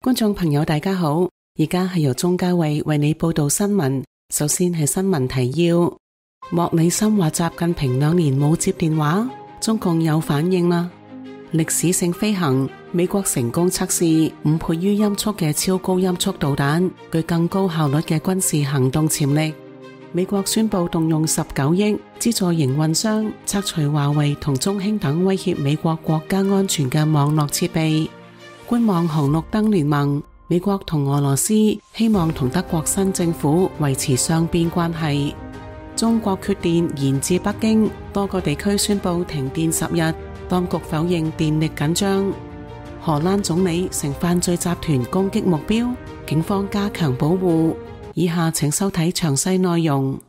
觀眾朋友大家好，而家係由鍾嘉慧為你報道新聞。首先係新聞提要：莫里森話習近平2年冇接電話，中共有反應啦。歷史性飛行，美國成功測試5倍於音速嘅超高音速導彈，具更高效率嘅軍事行動潛力。美國宣布動用19億資助營運商拆除華為同中興等威脅美國國家安全嘅網絡設備。觀望紅綠燈聯盟，美國同俄羅斯希望同德國新政府維持雙邊關係。中國缺電延至北京，多個地區宣布停電10日，當局否認電力緊張。荷蘭總理成犯罪集團攻擊目標，警方加強保護。以下請收睇詳細內容。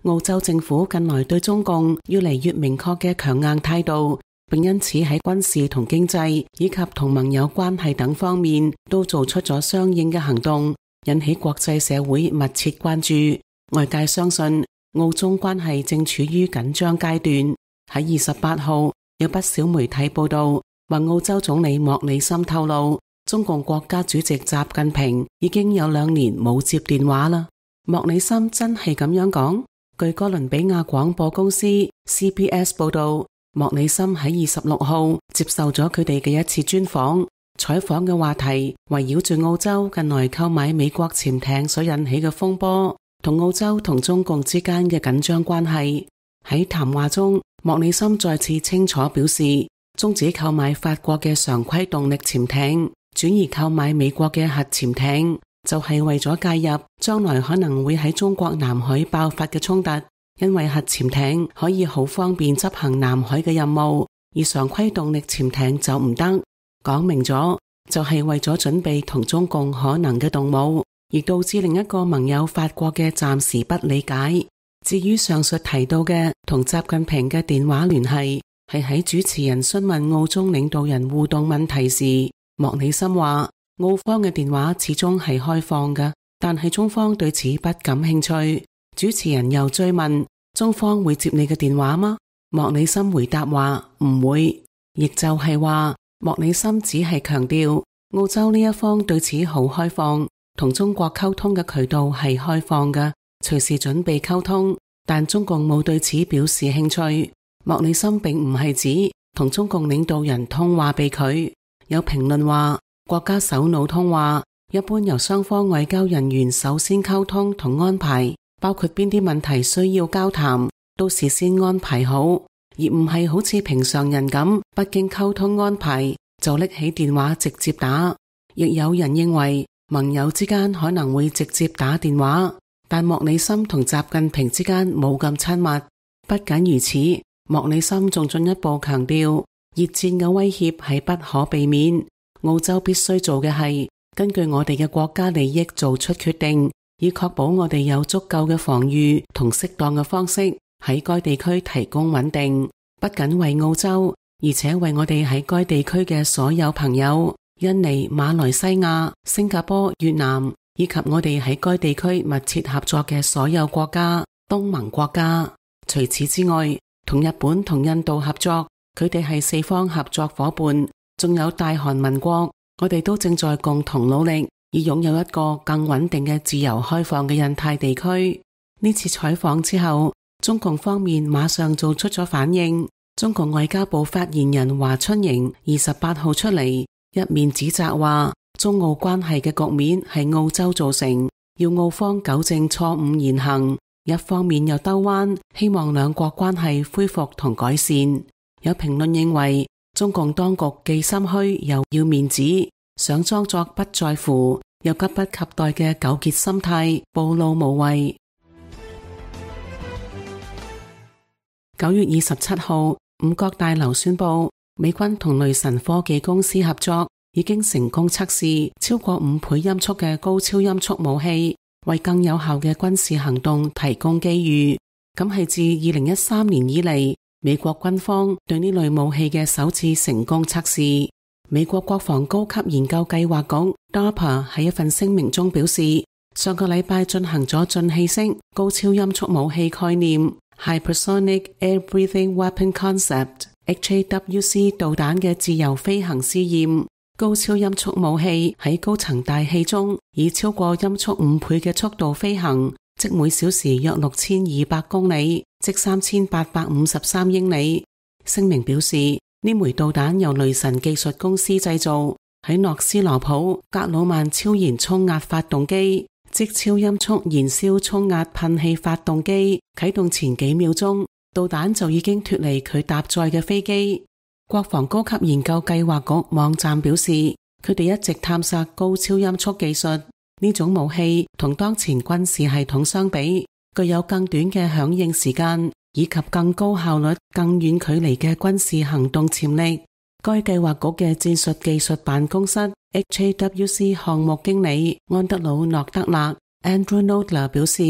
澳洲政府近來對中共越嚟越明確嘅強硬態度，並因此喺軍事同經濟以及同盟友關係等方面都做出咗相應嘅行動，引起國際社會密切關注。外界相信澳中關係正處於緊張階段。喺28號，有不少媒體報道話，澳洲總理莫里森透露，中共國家主席習近平已經有2年冇接電話啦。莫里森真係咁樣講？據哥倫比亞廣播公司 CBS 報道，莫里森喺26號接受咗佢哋嘅一次專訪，採訪嘅話題圍繞住澳洲近來購買美國潛艇所引起嘅風波，同澳洲同中共之間嘅緊張關係。喺談話中，莫里森再次清楚表示，終止購買法國嘅常規動力潛艇，轉而購買美國嘅核潛艇，就係為咗介入將來可能會喺中國南海爆發嘅衝突。因為核潛艇可以好方便執行南海嘅任務，而常規動力潛艇就唔得。講明咗就係為咗準備同中共可能嘅動武，而導致另一個盟友法國嘅暫時不理解。至於上述提到嘅同習近平嘅電話聯繫，係喺主持人詢問澳中領導人互動問題時，莫里森話澳方嘅電話始終係開放嘅，但係中方對此不感興趣。主持人又追問，中方會接你嘅電話嗎？莫里森回答話唔會，亦就係話莫里森只係強調澳洲呢一方對此好開放，同中國溝通嘅渠道係開放嘅，隨時準備溝通，但中共冇對此表示興趣。莫里森並唔係指同中共領導人通話被拒。有評論話，國家首腦通話一般由雙方外交人員首先溝通同安排，包括邊啲問題需要交談，都事先安排好，而唔係好似平常人咁不經溝通安排就拎起電話直接打。亦有人認為盟友之間可能會直接打電話，但莫里森同習近平之間冇咁親密。不僅如此，莫里森仲進一步強調，熱戰嘅威脅係不可避免，澳洲必須做嘅係根據我哋嘅國家利益做出決定，以確保我哋有足夠嘅防禦同適當嘅方式喺該地區提供穩定，不僅為澳洲，而且為我哋喺該地區嘅所有朋友，印尼、馬來西亞、新加坡、越南，以及我哋喺該地區密切合作嘅所有國家、東盟國家。除此之外，同日本同印度合作，佢哋係4方合作夥伴，仲有大韓民國，我哋都正在共同努力，以擁有一個更穩定嘅自由開放嘅印太地區。呢次採訪之後，中共方面馬上做出咗反應。中共外交部發言人華春瑩28號出嚟，一面指責話中澳關係嘅局面係澳洲造成，要澳方糾正錯誤言行，一方面又兜彎，希望兩國關係恢復同改善。有評論認為，中共當局既心虛又要面子，想裝作不在乎，又急不及待嘅糾結心態，暴露無遺。9月27號，五角大樓宣布，美軍同雷神科技公司合作，已經成功測試超過5倍音速嘅高超音速武器，為更有效嘅軍事行動提供機遇。咁係自2013年以嚟，美國軍方對呢類武器嘅首次成功測試。美國國防高級研究計劃局 DARPA 喺一份聲明中表示，上個禮拜進行咗進氣式高超音速武器概念 Hypersonic Air-breathing Weapon Concept HAWC 導彈嘅自由飛行試驗。高超音速武器喺高層大氣中以超過音速5倍嘅速度飛行，即每小時約6200公里，即3853英里。聲明表示，呢枚導彈由雷神技術公司製造，喺諾斯羅普格魯曼超燃衝壓發動機，即超音速燃燒衝壓噴氣發動機啟動前幾秒鐘，導彈就已經脫離佢搭載嘅飛機。國防高級研究計劃局網站表示，佢哋一直探索高超音速技術，呢種武器同當前軍事系統相比，具有更短嘅響應時間，以及更高效率、更遠距離嘅軍事行動潛力。該計劃局嘅戰術技術辦公室 HAWC 項目經理安德魯諾德勒 Andrew Nodler 表示，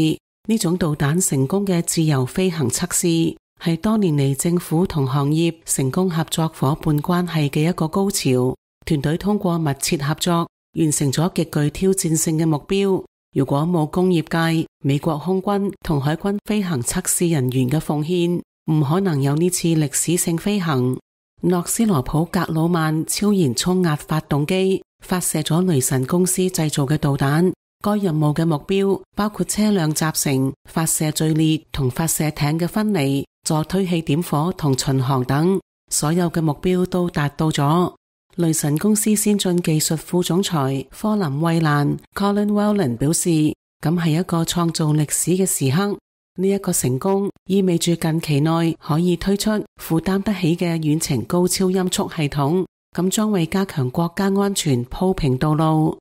呢種導彈成功嘅自由飛行測試係多年嚟政府同行業成功合作夥伴關係嘅一個高潮。團隊通過密切合作，完成咗極具挑戰性嘅目標。如果冇工業界、美國空軍同海軍飛行測試人員嘅奉獻，唔可能有呢次歷史性飛行。諾斯羅普格魯曼超燃衝壓發動機發射咗雷神公司製造嘅導彈。該任務嘅目標包括車輛集成、發射序列同發射艇嘅分離、助推器點火同巡航等，所有嘅目標都達到咗。雷神公司先進技術副總裁科林惠蘭 Colin Whelan 表示，咁係一個創造歷史嘅時刻。呢一個成功意味住近期內可以推出負擔得起嘅遠程高超音速系統，咁將為加強國家安全鋪平道路。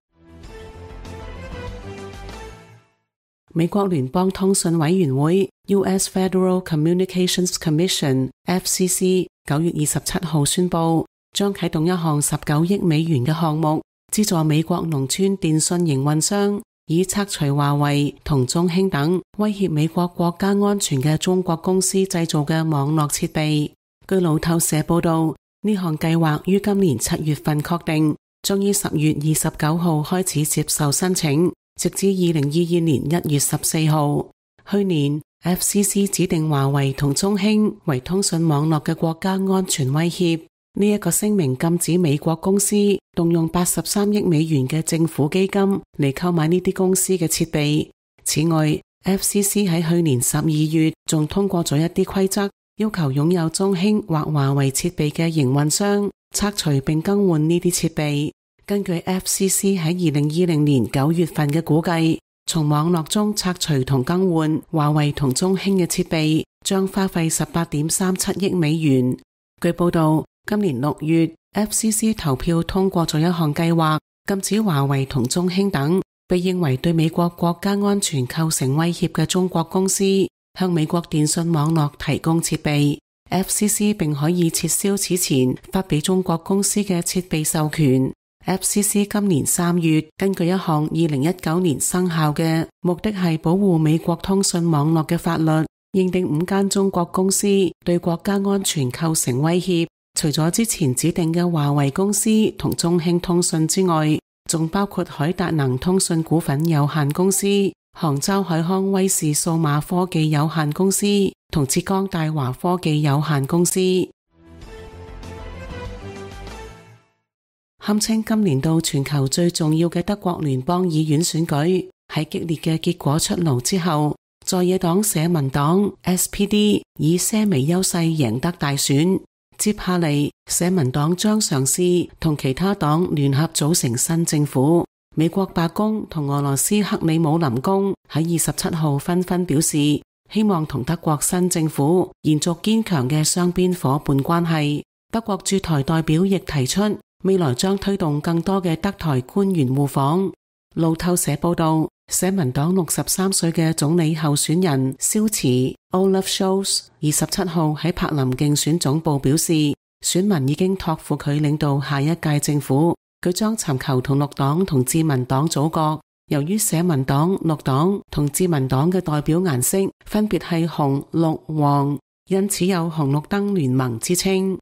美國聯邦通訊委員會 US Federal Communications Commission FCC 9月27號宣布，將啟動一項19億美元嘅項目，資助美國農村電信營運商，以拆除華為同中興等威脅美國國家安全嘅中國公司製造嘅網絡設備。據路透社報道，呢項計劃於今年7月份確定，將於10月29號開始接受申請，直至2022年1月14號。去年 FCC 指定華為同中興為通訊網絡嘅國家安全威脅。呢一個聲明禁止美國公司動用83億美元嘅政府基金嚟購買呢啲公司嘅設備。此外， FCC 喺去年12月仲通過咗一啲規則，要求擁有中興或華為設備嘅營運商拆除並更換呢啲設備。根據 FCC 喺2020年9月份嘅估計，從網絡中拆除同更換華為同中興嘅設備將花費18.37億美元。據報道，今年6月 FCC 投票通過咗一項計劃，禁止華為同中興等被認為對美國國家安全構成威脅嘅中國公司向美國電信網絡提供設備。FCC 並可以撤銷此前發俾中國公司嘅設備授權。FCC 今年3月根據一項2019年生效嘅目的係保護美國通訊網絡嘅法律，認定5間中國公司對國家安全構成威脅。除咗之前指定嘅華為公司同中興通訊之外，仲包括海達能通訊股份有限公司、杭州海康威視數碼科技有限公司同浙江大華科技有限公司。堪稱今年度全球最重要嘅德國聯邦議院選舉，喺激烈嘅結果出爐之後，在野黨社民黨 SPD 以些微優勢贏得大選。接下嚟，社民黨將嘗試同其他黨聯合組成新政府。美國白宮同俄羅斯克里姆林宮喺27號紛紛表示，希望同德國新政府延續堅強嘅雙邊夥伴關係。德國駐台代表亦提出，未來將推動更多嘅德台官員互訪。路透社報道，社民黨63歲嘅總理候選人肖茨 Olaf Scholz 27號喺柏林競選總部表示，選民已經託付佢領導下一屆政府，佢將尋求同綠黨同自民黨組閣。由於社民黨、綠黨同自民黨嘅代表顏色分別係紅、綠、黃，因此有紅綠燈聯盟之稱。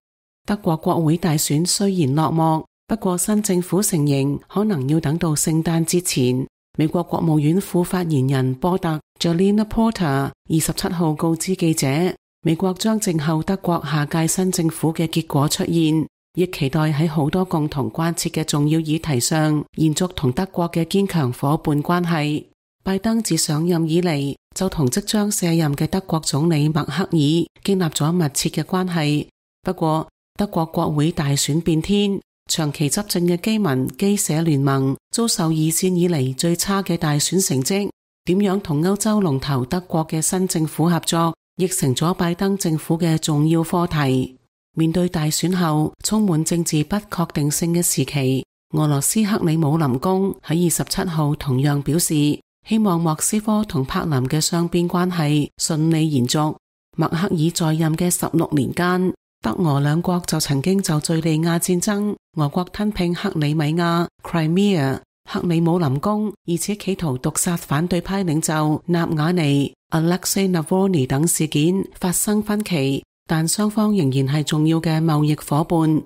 德國國會大選雖然落幕，不過新政府成形可能要等到聖誕節前。美國國務院副發言人波特 Jalina Porter 27號告知記者，美國將靜候德國下屆新政府嘅結果出現，亦期待喺好多共同關切嘅重要議題上延續同德國嘅堅強夥伴關係。拜登自上任以嚟就同即將卸任嘅德國總理默克爾建立咗密切嘅關係。不過德國國會大選變天，長期執政嘅基民基社聯盟遭受二戰以嚟最差嘅大選成績，點樣同歐洲龍頭德國嘅新政府合作，亦成咗拜登政府嘅重要課題。面對大選後充滿政治不確定性嘅時期，俄羅斯克里姆林宮喺27號同樣表示，希望莫斯科同柏林嘅雙邊關係順利延續。默克爾在任嘅16年間，德俄兩國就曾經就敘利亞戰爭、俄國吞併克里米亞 Crimea、克里姆林宮，而且企圖毒殺反對派領袖納瓦尼 Alexei Navalny 等事件發生分歧，但雙方仍然係重要嘅貿易夥伴。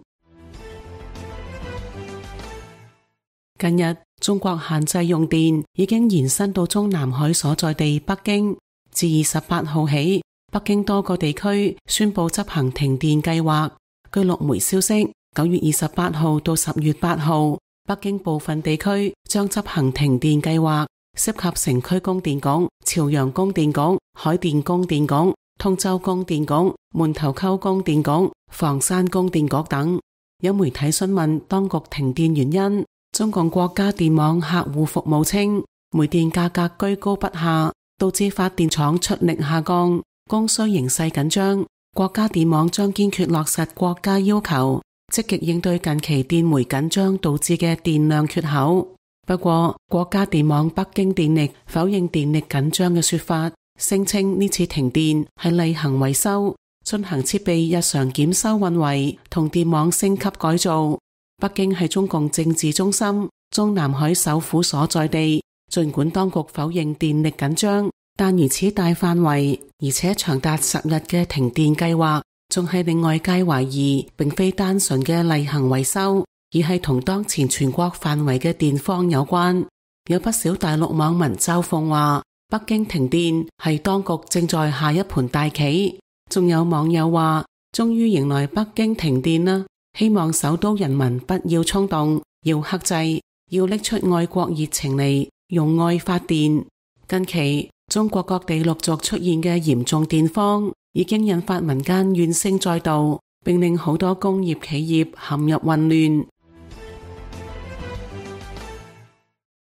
近日，中國限制用電已經延伸到中南海所在地北京。自28號起，北京多個地區宣布執行停電計劃。據陸媒消息，9月28號到10月8號，北京部分地區將執行停電計劃，涉及城區供電局、朝陽供電局、海淀供電局、通州供電局、門頭溝供電局、房山供電局等。有媒體詢問當局停電原因，中共國家電網客戶服務稱，煤電價格居高不下，導致發電廠出力下降，供需形勢緊張。國家電網將堅決落實國家要求，積極應對近期電煤緊張導致嘅電量缺口。不過，國家電網北京電力否認電力緊張嘅說法，聲稱呢次停電係例行維修，進行設備日常檢修運維同電網升級改造。北京係中共政治中心、中南海首府所在地，儘管當局否認電力緊張，但如此大範圍而且長達10日嘅停電計劃，仲係令外界懷疑並非單純嘅例行維修，而係同當前全國範圍嘅電荒有關。有不少大陸網民嘲諷話，北京停電係當局正在下一盤大棋。仲有網友話，終於迎來北京停電啦！希望首都人民不要衝動，要克制，要拎出愛國熱情嚟，用愛發電。近期中國各地陸續出現嘅嚴重電荒，已經引發民間怨聲載道，並令好多工業企業陷入混亂。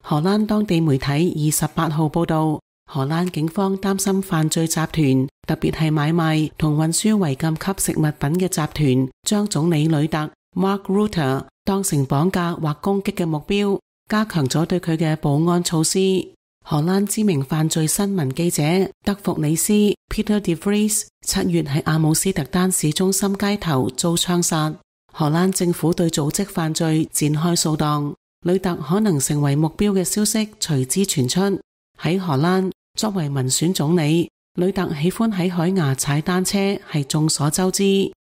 荷蘭當地媒體28號報道，荷蘭警方擔心犯罪集團，特別係買賣同運輸違禁級食物品嘅集團，將總理呂特 Mark Rutte 當成綁架或攻擊嘅目標，加強咗對佢嘅保安措施。荷蘭知名犯罪新聞記者德弗里斯 Peter de Vries 7月喺阿姆斯特丹市中心街頭遭槍殺。荷蘭政府對組織犯罪展開掃蕩，呂特可能成為目標嘅消息隨之傳出。喺荷蘭，作為民選總理，呂特喜歡喺海牙踩單車係眾所周知。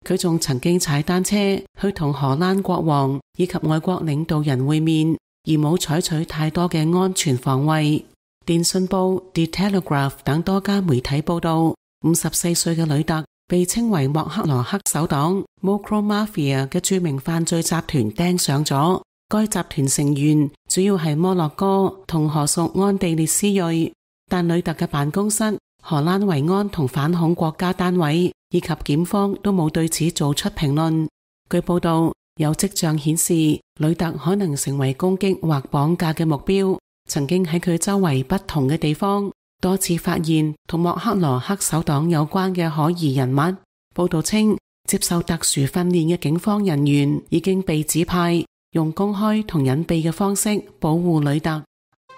佢仲曾經踩單車去同荷蘭國王以及外國領導人會面，而冇採取太多嘅安全防衛。電訊報 The Telegraph 等多家媒體報道，54歲嘅呂特被稱為莫克羅黑手黨 Mokro Mafia 嘅著名犯罪集團盯上咗。該集團成員主要係摩洛哥同荷屬安地列斯裔，但呂特嘅辦公室、荷蘭維安同反恐國家單位以及檢方都冇對此做出評論。據報道，有跡象顯示呂特可能成為攻擊或綁架嘅目標。曾經喺佢周圍不同嘅地方多次發現同莫克羅黑手黨有關嘅可疑人物。報道稱，接受特殊訓練嘅警方人員已經被指派用公開同隱蔽嘅方式保護呂特。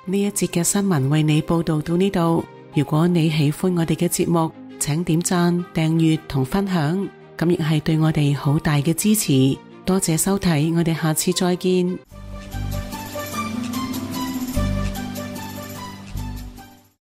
呢一節嘅新聞為你報道到呢度。如果你喜歡我哋嘅節目，請點讚、訂閱同分享，咁亦係對我哋好大嘅支持。多謝收睇，我哋下次再見。